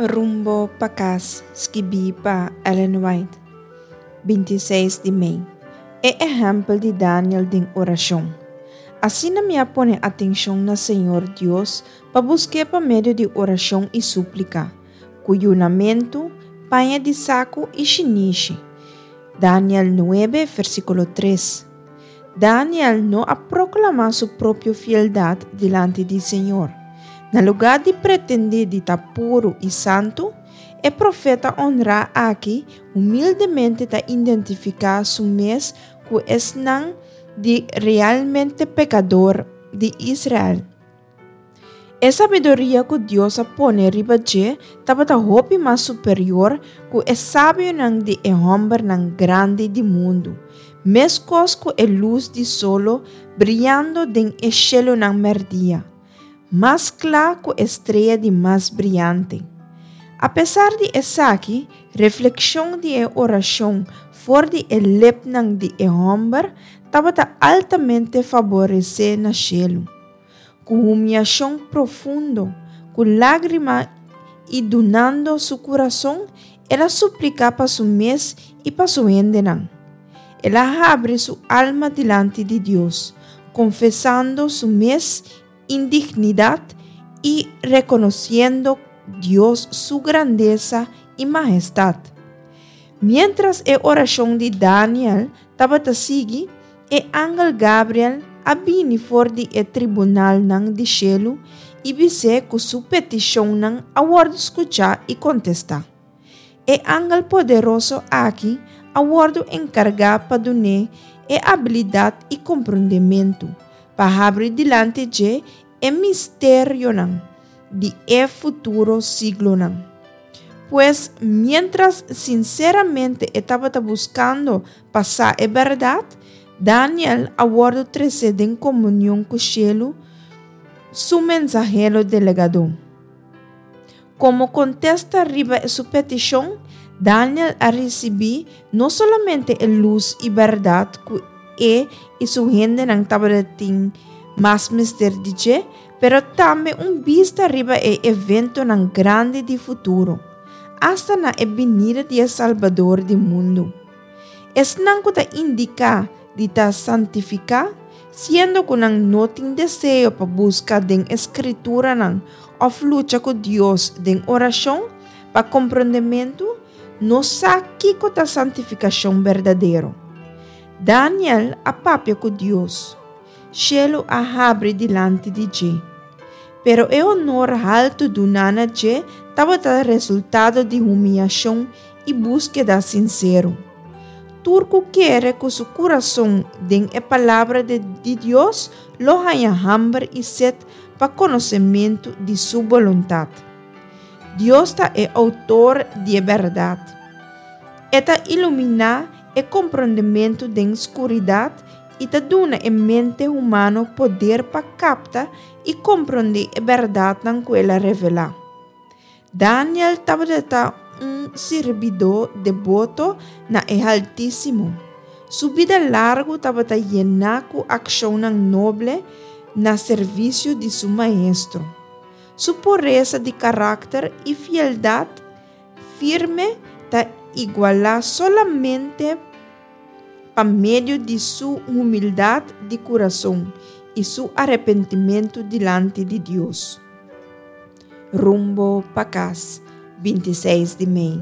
Rumbo pa Kas, skibí pa Ellen White, 26 di mei. E ehèmpel di Daniel den orashon. Asina mi a pone atenshon na Señor Dios pa busk'é pa medio di orashon i súplika, ku yunamentu, paña di saku i shinishi. Daniel nuebe, versíkulo tres. Daniel no a proklamá su propio fieldat dilanti di Señor. Na lugá di pretendé di ta puru i santu, e profeta onrá aki humildemente ta identifiká su mes ku esnan di realmente pekador di Israel. E sabiduria ku Dios a pone riba dje tabata hopi mas superior ku e sabionan di e hòmbernan grandi di mundu, meskos ku e lus di solo briando den e shelunan mèrdia, mas kla ku e strea di mas briante. Apesar di esaki, reflekshon di e orashon for di e lepnan di e hòmber tabata altamente faboresé na shelu. Ku humiashon profundo, ku lágrima i dunando su kurason, el a supliká pa su mes i pa su hendenan. El a habri su alma dilanti di Dios, konfesando su mes indignidat i rekonosiendo Dios su grandesa i mahestat. Miéntras e orashon di Daniel tabata sigui, e angel Gabriel a bini for di e tribunalnan di shelu i bis'é ku su petishonnan a wòrdu skuchá i kontestá. E angel poderoso aki a wòrdu enkargá pa dun'é e abilidat i komprondementu pa habri dilanti dje e misterionan di e futuro siglonan. Pues, miéntras sinseramente e tabata buskando pa sa e bèrdat, Daniel a wòrdu tresé den komunion ku shelu su mensahero delegadó. Komo kontesta riba su petishon, Daniel a risibí no solamente e lus i bèrdat ku e i su hendenan tabatin mas mester di dje, pero tambe un bista riba e eventonan grandi di futuro, asta na e binida di e Salbador di mundu. Esnan ku ta indiká di ta santifiká, siendo ku nan no tin deseo pa buska den e Skrituranan òf lucha ku Dios den orashon pa komprondementu, no sa kiko ta santifikashon berdadero. Daniel a papia ku Dios. Shelu a habri dilanti di dje. Pero e honor haltu duná na dje tabata resultado di humiashon i búskeda sinsero. Tur ku kere ku su kurason den e Palabra di Dios lo haña hamber i set pa konosementu di su boluntat. Dios ta e outor di e bèrdat. E ta iluminá e komprondementu den skuridat i ta duna e mente humano poder pa kapta i komprondé e bèrdatnan ku el a revelá. Daniel tabata un sirbidó deboto na e Haltísimo. Su bida largu tabata yená ku akshonnan noble na servisio di su Maestro. Su puresa di karakter i fieldat firme ta igualá solamente pa medio di su humildat di kurason i su arepentimentu dilanti di Dios. Rumbo pa kas, 26 di mei.